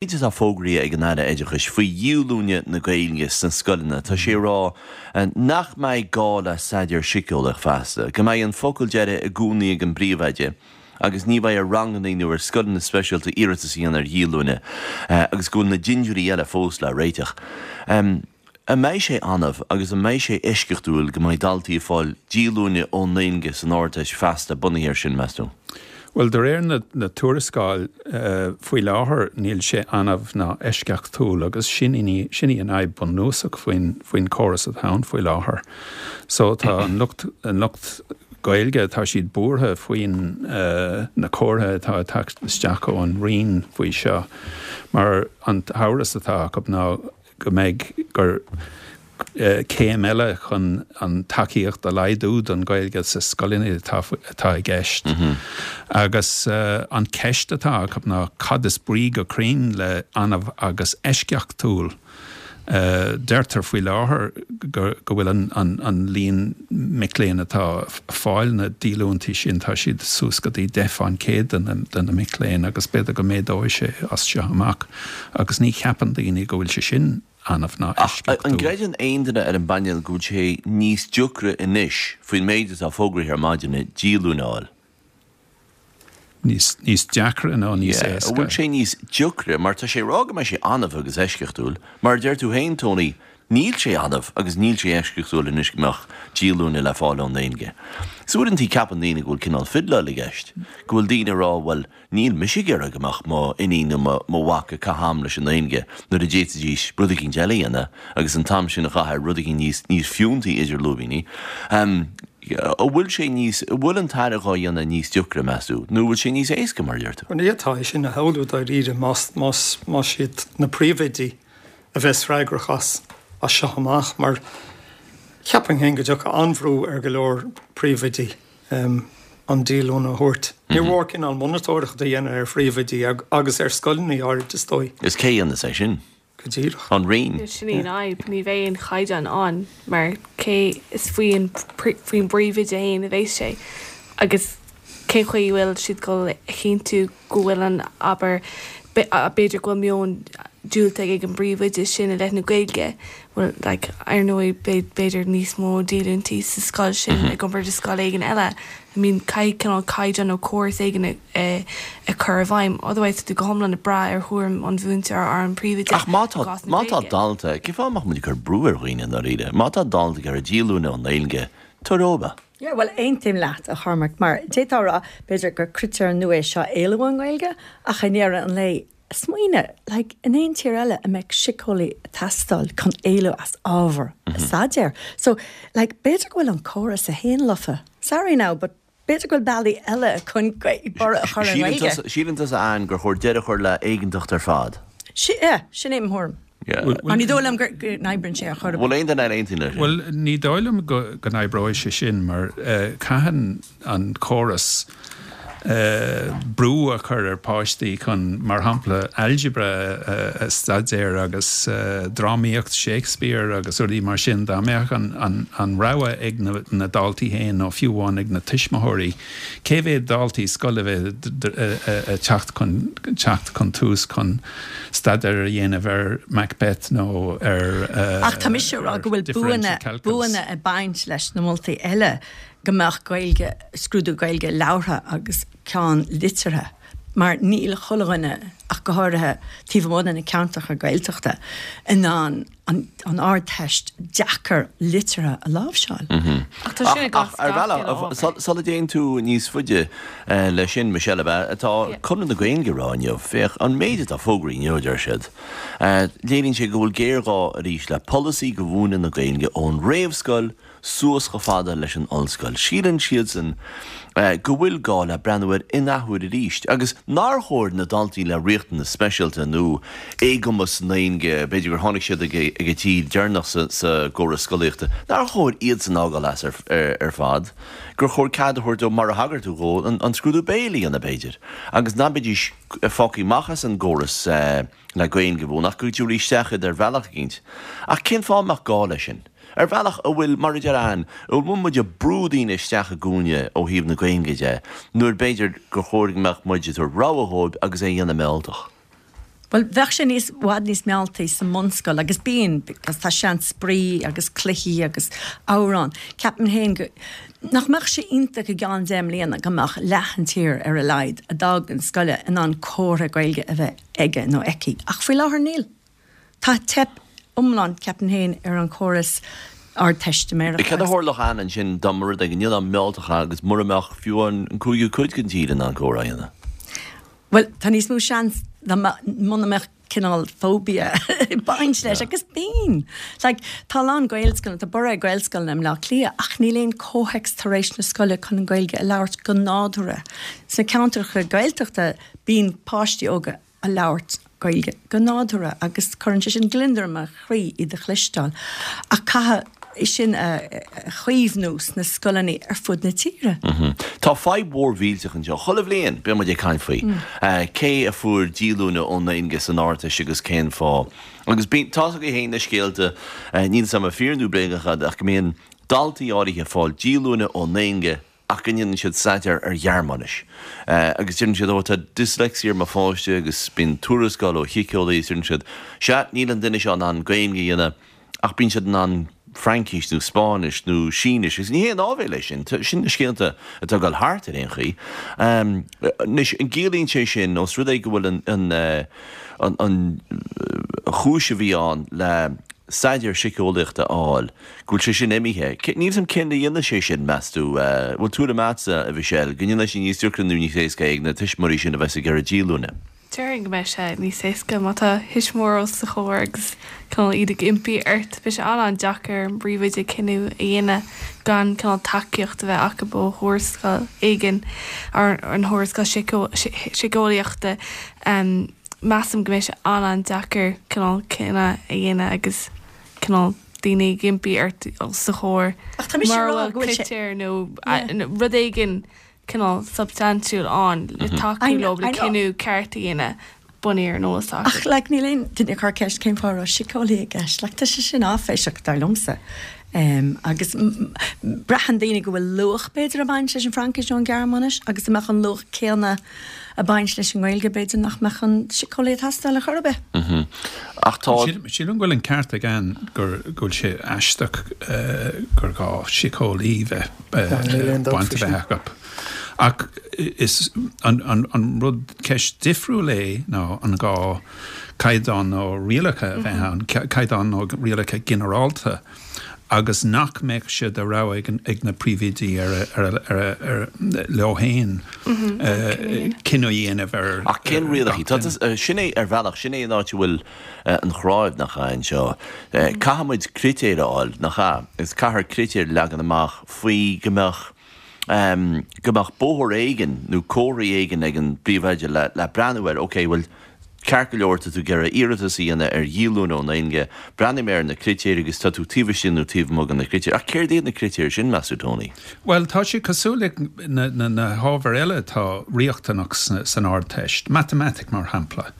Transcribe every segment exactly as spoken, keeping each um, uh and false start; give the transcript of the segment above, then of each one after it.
Méid atá fógraithe ag an Aire Oideachais faoi dhíolúine na Gaeilge sna scoileanna, tá sé ag rá nach mbeidh gá le staidéar síceolaíoch feasta, go mbeidh an focal deiridh i gcónaí ag an bpríomhoide agus ní bheidh ar ranganna nó ar scoileanna speisialta iarratas a dhéanamh ar dhíolúine agus go bhfuil na dintiúirí eile fós le réiteach. An mbeidh sé annamh agus an mbeidh sé eisceachtúil go mbeidh daltaí ag fáil díolúine ón nGaeilge san Ardteist feasta bunaithe air sin, meas tú? Bhuel, de réir na, na tuarascáil uh, faoi láthair níl sé annamh ná eisceachtúil agus sin í sin í an fhadhb bunúsach faoin faoin córas atá ann faoi láthair. So tá an lucht an lucht Gaeilge tá siad buartha faoin uh, na comhartha atá ag teacht isteach ón Roinn faoi seo mar an t-amhras atá acu ná go mbeidh gur uh, céim eile chun an tacaíocht a laghdú don Ghaeilge sa scoileanna atá atá i gceist. Mm -hmm. Agus uh, an ceist atá acu ná cad is brí go cruinn le annamh agus eisceachtúil. Uh, deirtear faoi láthair go, go bhfuil an, an, an líon mic léinn atá fáil na díolúintí sin tá siad suas go dtí deich faoin gcéad de na, de na mic léinn agus b'fhéidir go méadóidh sé as seo amach agus ní cheapann daoine go bhfuil sé sin annamh ná Ach an gcreideann aon duine ar an bpainéal go bhfuil sé níos deacra anois faoin méid atá fógraithe ar maidin díolúine a fháil? Níos, níos deacra nó níos Yeah, éasca. An bhfuil sé níos deacra mar tá sé rá go mbeidh sé annamh agus eisceachtúil, mar deir tú féin Tony, níl sé annamh agus níl sé eisceachtúil anois go mbeadh díolúine le fáil ón nGaeilge. So uaireanta ceapann daoine go bhfuil cineál fidleáil i gceist, go bhfuil daoine ag rá bhuel níl mise ag iarraidh go mbeadh mo iníon nó mo mo mhac ag caitheamh am leis an nGaeilge nuair a d'fhéadfaidís rud éicint eile a dhéanamh agus an t-am sin a chaitheamh ar rud éicint níos níos fiúntaí idir lúibíní. Um, an bhfuil sé níos an bhfuil an tAire dhá dhéanamh níos deacra meas tú, nó bhfuil sé níos éasca mar deir tú? Ní atá é sin a shamhlú dáiríre más más más siad na príomhoidí a bheas freagrach as as seo amach mar cheapfainn féin go dtiocfadh an-bhrú ar go leor príomhoidí um, an díolúine a thabhairt. Ní mhór cineál monatóireacht a dhéanamh ar phríomhoidí agus ar scoileanna áirid is dóigh. Is cé a dhéanfas é sin? Go díreach. An Roinn. Sin í an fhadhb, ní bheidh aon chaighdeán ann mar cé is faoin faoin bpríomhoide féin a bheas sé agus cén chaoi bhfuil siad go a chinntiú go bhfuil an abair b'fhéidir go bhfuil meon diúltach ag an bpríomhoide sin i leith na Gaeilge well like ar ndóigh b'fhéidir níos mó díolúintí sa scoil sin i gcomparáid le scoil éigin eile. I mean caithfidh cineál caighdeán nó córas éigin a a chur i bhfeidhm, otherwise tú go hiomlán ag brath ar thuairim an mhúinteora ar an bpríomhoide Ach má tá má tá dalta, cén fáth nach muid ag cur brú ar dhaoine dáiríre, má tá dalta ag iarraidh díolúine ón nGaeilge, tabhair dóibh é. Yeah, well aontaím leat a Chormac mar d'fhéadfá a rá b'fhéidir gur critéar nua é seo éalú ón nGaeilge ach i ndeireadh an lae smaoinigh like, in aon tír eile a mbeadh síceolaí ag teastáil chun éalú as ábhar mm -hmm. staidéir. So like, b'fhéidir go bhfuil an córas a haon lofa. Sorry now, but b'fhéidir go bhfuil bealaí eile chun borradh a chur ar an Ghaeilge. Síleann tusa an gur chóir deireadh a chur le éigeantacht ar fad. Yeah, sin é mo thuairim. Mar ní dóigh liom go n-oibríonn sé ar chor. Bhfuil aon duine eile aontaíonn leis sin? Bhuel, ní dóigh liom go go n-oibreoidh sé sin mar uh, caitheann an córas uh, brú a chur ar páistí chun mar shampla algebra uh, a staidéar agus uh, drámaíocht Shakespeare agus rudaí mar sin dá mbeadh an, an, an rogha ag na, na daltaí féin nó fiú amháin ag na tuismitheoirí. Cé mhéad daltaí scoile bheith ag teacht chun teacht chun tús chun staidéar a dhéanamh ar Macbeth nó ar uh, Ach tá mise rá go bhfuil buanna buanna ag baint leis na moltaí eile go mbeadh Gaeilge scrúdú Gaeilge labhartha agus ceann liteartha mar níl chuile dhuine ach go háirithe taobh amuigh de na ceantracha Gaeltachta in ann an, an ardteist deacair liteartha a láimhseáil. Ach tá sin i gcás Ar gach bhealach, uile ábhar. sula dtéann tú níos faide eh, leis sin Michelle ab atá Conradh na Gaeilge ag rá inniu, féach an méid atá fógraithe inniu deir siad. Eh, Léiríonn sé go bhfuil géarghá arís le polasaí do mhúineadh na Gaeilge ón réamhscoil suas chomh fada leis an ollscoil. Síleann siadsan eh, go bhfuil gá le breathnú air in athuair arís, agus nár chóir na daltaí le riachtanas speisialta nó éagumas na Gaeilge, b'fhéidir gur tháinig siad ag ag an tír deireanach sa, sa gcóras scolaíochta, nár chóir iad san fhágáil as ar, ar, ar fad, gur chóir cead a thabhairt dóibh mar a thagair tú dhó an, an scrúdú béil a dhéanamh b'fhéidir. Agus ná beidís fágtha amach as an gcóras eh, le Gaeilge bhún ach go dtabharfaí isteach iad ar bhealach éicint. Ach cén fáth mbeadh gá leis sin? Ar bhealach a bhfuil mar a deir Ann, a bhfuil muid ag brú daoine isteach i gcúinne ó thaobh na Gaeilge de, nuair b'fhéidir gur chóir go mbeadh muid ag tabhairt rogha dhóibh agus é a dhéanamh mealltach. Bhuel, bheadh sé níos, bhfad níos mealltaí sa mbunscoil agus bíonn, because tá seans spraoi agus cluichí agus amhráin. Ceapaim féin go, nach mbeadh sé iontach i gceann deich mbliana go mbeadh leath an tír ar a laghad a d'fhág an scoile in ann comhartha Gaeilge a bheith aige nó aici. Ach faoi láthair níl. Tá teip iomlán, ceapaim féin, ar an chóras Ardteistiméireachta. Cad a tharlódh ann ansin dá mba rud é go ndéanfá mealltach agus mura mbeadh fiú an cúigiú cuid den tír in ann comhrá a dhéanamh? Bhuel, tá níos mó seans dá muna mbeadh cineál phobia ag baint leis, agus bíonn. Like, tá a lán Gaelscoileanna, tá borradh ar Ghaelscoileanna i mBleá Cliath, ach níl aon comhthéacs tar éis na scoile chun an Ghaeilge a labhairt go nádúrtha. Sna ceantracha Gaeltachta, bíonn páistí óga ag labhairt Gaeilge go nádúrtha agus cuireann sé sin gliondar i mo chroí iad a chloisteáil. Ach caithfidh é sin a chaomhnú sna scoileanna ar fud na tíre. Tá fadhb mhór mhillteach anseo. Chuile bhliain bíonn muid ag caint faoi cé a fuair díolúine ón nGaeilge san Ardteist agus cén fáth. Agus bíonn, tá's agaibh féin na scéalta, níl 'fhios a'm an fíor nó bréagach iad, ach go mbíonn daltaí áirithe ag fáil díolúine ón nGaeilge ach go ndéanann siad staidéar ar Ghearmáinis. Agus deireann siad, ó tá dyslexia ar mo pháiste agus bíonn tuarascáil ó shíceolaí agus deireann siad, sea, níl an duine seo in ann Gaeilge a dhéanamh ach bíonn siad in ann Fraincis nó Spáinnis nó Sínis agus ní haon áibhéil é sin, sin na scéalta atá ag dul thart ar aon chaoi. Anois, an gciallaíonn sé sin, ós rud é go bhfuil an an an chúis a bhí ann le staidéar síceolaíochta a fháil, go bhfuil sé sin imithe. Níl 'fhios a'm cén a dhéanfaidh sé sin, meas tú? Bhfuil tuairim a'dsa, a Mhichelle, go ndéanfaidh sé níos deacra nó níos éasca ag na tuismitheoirí sin a bheas ag iarraidh díolúine? Déarfainn go mbeidh sé níos éasca má tá tuismitheoir os do chomhair agus cineál iad ag impí ort. Beidh sé an-an-deacair ar an bpríomhoide cinneadh a dhéanamh gan cineál tacaíocht a bheith acu ó thuarascáil éigin, an thuarascáil síceolaíochta. Measaim go mbeidh sé an-an-deacair cineál cinneadh a dhéanamh agus cineál daoine ag impí ort os do chomhair Ach tá mise ag mura rá bhfuil go bhfuil sé critéir nó rud éigin cineál substaintiúil ann le tacú leo le cinneadh ceart a dhéanamh bunaithe ar an eolas atá Ach acu. like níl aon duine ag cur ceist cén fáth a raibh síceolaí i gceist. Like tá sé sin áiféiseach dar liomsa. Em agus braitheann daoine go bhfuil luach b'fhéidir ag baint leis an Fhraincis nó an Ghearmáinis agus dá mbeadh an luach céanna ag baint leis an nGaeilge b'fhéidir nach mbeadh an síceolaí ag teastáil ar chor ar bith. Ach tá. Sílim go bhfuil an ceart ag Ann gur go bhfuil sé aisteach gur gá síceolaí bheith baint a bheith acu. Ach is an an rud ceist difriúil é ná an gá caighdeán nó rialacha a bheith ann, caighdeán nó rialacha ginearálta agus nach mbeadh sé de rogha ag na príomhoidí ar ar leo féin cinneadh a dhéanamh ar Ach cén gach rialacha? Tá duine. Sin é ar bhealach, sin é an áit a bhfuil an chráibh, nach ea, anseo. Caithfidh muid critéir a fháil, nach ea? Agus caithfear critéir a leagan amach faoi go mbeadh go mbeadh bóthar éigin nó comharthaí éigin ag an bpríomhoide le le breathnú air, ok, bhuel, Ceart go leor, tá tú ag iarraidh iarratas a dhéanamh ar dhíolúine ón nGaeilge, breathnaigh mé ar na critéir agus tá tú taobh istigh nó taobh amuigh de na critéir. Ach céard iad na critéir sin, meas tú, Tony? Bhuel, tá sé cosúil le na hábhair eile atá riachtanach san Ardteist, matamaitic mar shampla.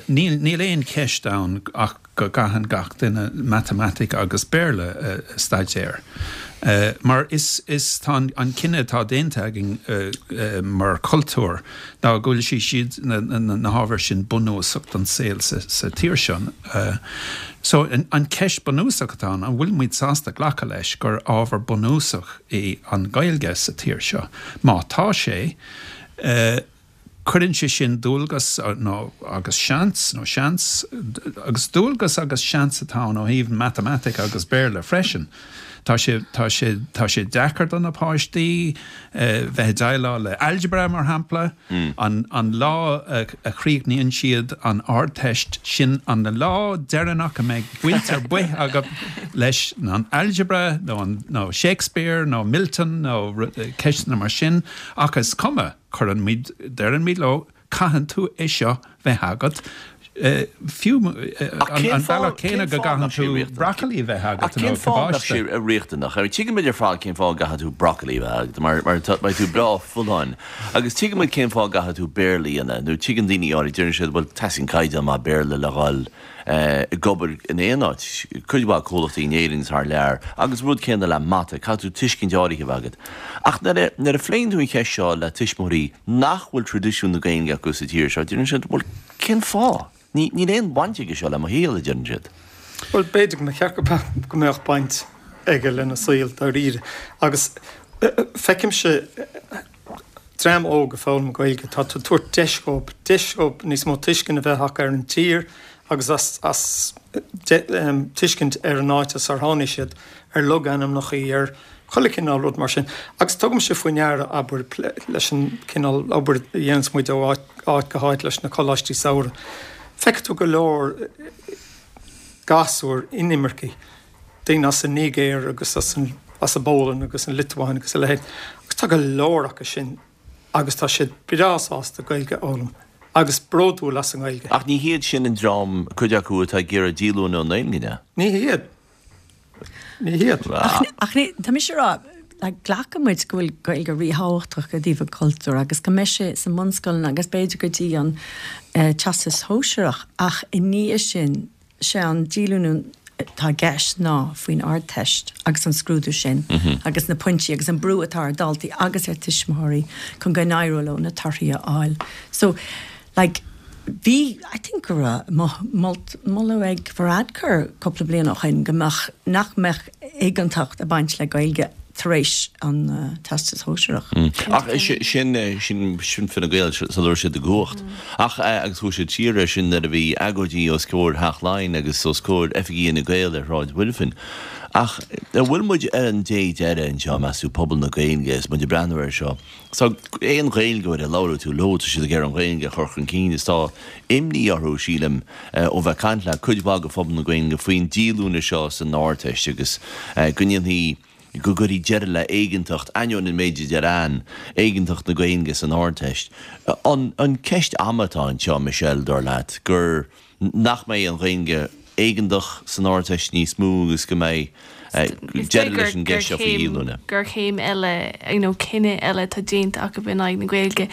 Níl aon cheist ann ach go gcaitheann gach duine matamaitic agus Béarla a staidéar. Mar is, is, tá an cinneadh atá déanta againn mar chultúr ná go bhfuil sí, siad, na, na hábhair sin bunúsach don saol sa, sa tír seo. So an cheist bunúsach atá ann, an bhfuil muid sásta glacadh leis gur ábhar bunúsach í an Ghaeilge sa tír seo? Má tá sé, Cuireann sé sin dualgas nó agus seans, nó seans, agus dualgas agus seans atá ann ó thaobh matamaitic agus Béarla freisin. Tá sé, tá sé, tá sé deacair do na páistí bheith ag déileáil le algebra, mar shampla. An, an lá a, a chríochnaíonn siad an Ardteist, sin an lá deireanach a mbeidh baint ar bith acu leis an algebra nó an, nó Shakespeare nó Milton nó ceisteanna mar sin, ach is cuma. Cuireann muid, deireann muid leo, caitheann tú é seo bheith agat, fiú Ach cén an fáth, bealach cén céanna go fáth nach gcaitheann sé tú riachtanach? broccoli bheith Ach agat cén nó fáth nach sé cabáiste. riachtanach? I mean, tuigimid ar fad cén fáth gcaithfidh tú broccoli a bheith agat, mar, mar tá, beidh tú breá folláin. Agus tuigimid cén fáth gcaithfidh tú Béarla a dhéanamh, nó tuigeann daoine áirid, deireann siad, bhuel, teastaíonn caighdeán maith Béarla le dhul ag obair in aon áit, cuid mhaith comhlachtaí in Éirinn is thar lear, agus rud céanna le mata, caithfidh tú tuiscint áirithe a bheith agat. Ach nuair a, nuair a phléann tú an cheist seo le tuismitheoirí nach bhfuil traidisiún na Gaeilge acu sa tír seo, deireann siad, bhuel, Cén fáth? Ní, níl aon bhaint aige seo le mo shaol, a deireann siad. Bhuel, b'fhéidir go mba cheart go mbeadh baint aige lena saol dáiríre. Agus feicimse dream óg ag foghlaim Gaeilge, tá tú ag tabhairt deis dhóibh, deis dhóibh níos mó tuiscint a bheith acu ar an tír agus as, as tuiscint ar an áit as ar tháinig siad, ar logainmneacha, ar chuile chineál rud mar sin. Agus tugaimse faoi ndeara, abair, leis an cineál obair a dhéananns muid ó áit, áit go háit leis na coláistí samhraidh, feicfidh tú go leor gasúir inimircigh, daoine as an Nigéir agus as an as an bPólainn agus an Liotuáin agus a leithéid, agus tá go leor acu sin agus tá siad breá sásta Gaeilge a fhoghlaim agus bródúil as an nGaeilge. Ach ní hiad sin an dream, cuid acu, atá ag iarraidh díolúine ón nGaeilge, an ea? Ní hiad. Ní hiad. Ach, ach ní, tá mise ag rá, like, glacann muid go bhfuil Gaeilge ríthábhachtach i dtaobh an chultúir agus go mbeidh sé sa mbunscoileanna agus b'fhéidir go dtí an eh, Teastas Shóisearach ach i ndiaidh sin sé an díolúine atá i gceist ná faoin Ardteist agus an scrúdú sin agus na pointí agus an brú atá ar dhaltaí agus ar tuismitheoirí chun go n-éireodh leo na torthaí a fháil. So, like, bhí, I think go raibh moladh ag Varadkar cúpla bliain ó shin go mbeadh, nach mbeadh éigeantacht ag baint le Gaeilge tar éis an Teastas Shóisearach. Ach sin, sin, sin Fine Gael sula raibh siad i gcumhacht. Ach, agus chuaigh siad siar air sin nuair a bhí agóidí os comhair Theach Laighean agus os comhair oifigí Fhine Gael ar Shráid Mhuirfean. Ach an bhfuil muid ar an dé deiridh anseo, meas tú, pobal na Gaeilge, is muid ag breathnú air seo? Tá aon Ghaeilgeoir a labhróidh tú leo, tá siad ag iarraidh an Ghaeilge a chur chun cinn is tá imní orthu, sílim, ó bheith ag caint le cuid mhaith de phobal na Gaeilge faoin díolúine seo san Ardteist agus go ndéanfaidh, go gcuirfidh deireadh le éigeantacht, ainneoin an méid a deir Anne, éigeantacht na Gaeilge san Ardteist. An an ceist ama atá anseo, Michelle, dar leat, gur nach mbeidh an Ghaeilge éigeantach san Ardteist níos mó agus go mbeidh deireadh leis an gceist seo faoi dhíolúine? gur chéim eile, you know, cinneadh eile atá déanta acu in aghaidh na Gaeilge.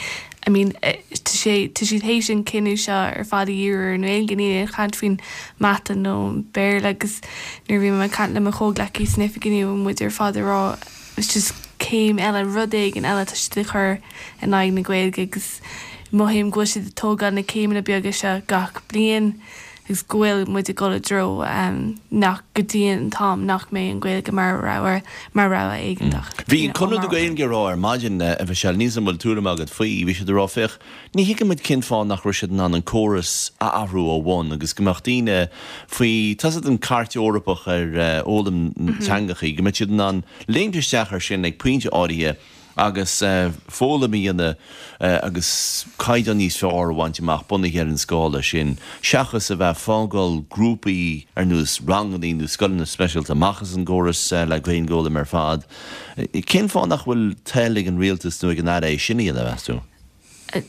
I mean, tá sé, tá siad théis an cinneadh seo ar fad a dhíriú ar an nGaeilge, níl aon chaint faoin mata nó an Béarla agus nuair a bhí mé ag caint le mo chomhghleacaí san oifig inniu muid ar fad ag rá it's just céim eile, rud éigin eile atá siad ag cur in aghaidh na Gaeilge agus mothaím go bhfuil siad ag tógáil na céimeanna beaga seo gach bliain agus go bhfuil muid ag dul i dtreo nach go dtí an t-am nach mbeidh an Ghaeilge mar rogha mar rogha éigeantach. Bhí Conradh na Gaeilge ag rá ar maidin, a Mhichelle, níl 's agam an bhfuil tuairim agat faoi, bhí siad ag rá, féach, ní thuigeann muid cén fáth nach raibh siad in ann an córas a athrú ó bhun agus go mbeadh daoine faoi, tá's agat an Cairt Eorpach ar fhoghlaim teangachaí, go mbeadh siad in ann léimt isteach ar sin ag pointe áirithe agus foghlaim a dhéanamh agus caighdeán níos fearr a bhaint amach bunaithe ar an scála sin, seachas a bheith ag fágáil grúpaí ar nós ranganna nó scoileanna speisialta amach as an gcóras le Gaeilge a fhoghlaim ar fad. Cén fáth nach bhfuil toil ag an rialtas nó ag an Aire é sin a dhéanamh, meas tú?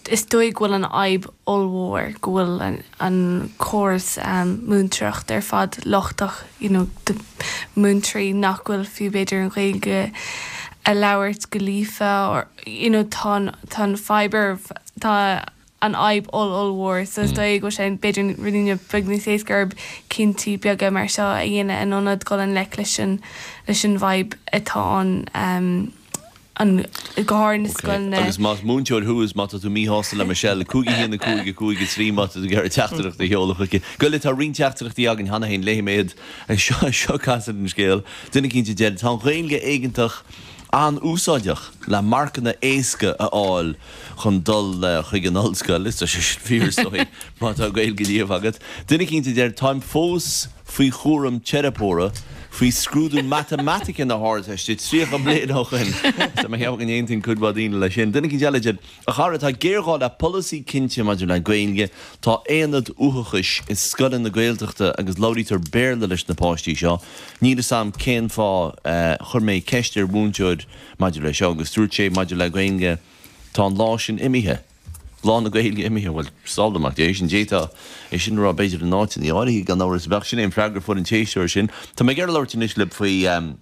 Is dóigh go bhfuil an fhadhb ollmhór go bhfuil an córas múinteoireachta ar fad lochtach, you know, múinteoirí nach bhfuil fiú b'fhéidir an Ghaeilge a labhairt go líofa or you know tá an tá an fadhb ar tá an fhadhb oll-ollmhór so is dóigh go bhfuil sé b'fhéidir rudaí beag níos éasca orthu cinntí beaga mar seo a dhéanamh in ionad dul i ngleic leis an leis an bhfadhb atá ann. an go háirithe na scoileanna. Agus más múinteoir thú is má tá tú míshásta le Michelle, cúig a haon a cúig a cúig a trí má tá tú ag iarraidh teachtaireacht a sheoladh chuici. Gabh i leith, tá roinnt teachtaireachtaí againn cheana féin, léifidh mé iad. Seo, seo casadh an scéil. Duine eicínt a deir, tá an Ghaeilge éigeantach an-úsáideach le marcanna éasca a fháil chun dul chuig an ollscoil. Is tá sé sin fíor is dóigh má tá Gaeilge líofa agat. Duine eicínt a deir, táim fós faoi chúram teiripeora faoi scrúdú matamaitice na hArdteiste tríocha bliain ó shin. Tá mé ag ceapadh go n-aontaíonn cuid mhaith daoine leis sin. Duine eicínt eile a deir, A chara, tá géarghá le polasaí cinnte maidir le Gaeilge. Tá aonad uathachais i scoileanna Gaeltachta agus labhraítear Béarla leis na páistí seo. Níl fhios a'm cén fáth. Chuir mé ceist ar mhúinteoir maidir le seo agus dúirt sé maidir le Gaeilge, tá an lá sin imithe. Lá na Gaeilge imithe, bhuel, sábháil Mac Dé sin, d'fhéadfá é sin a rá b'fhéidir in áiteanna áirithe, gan amhras. Bheadh sin é an freagra a fuair an t-éisteoir sin. Tá mé ag iarraidh labhairt anois libh faoi.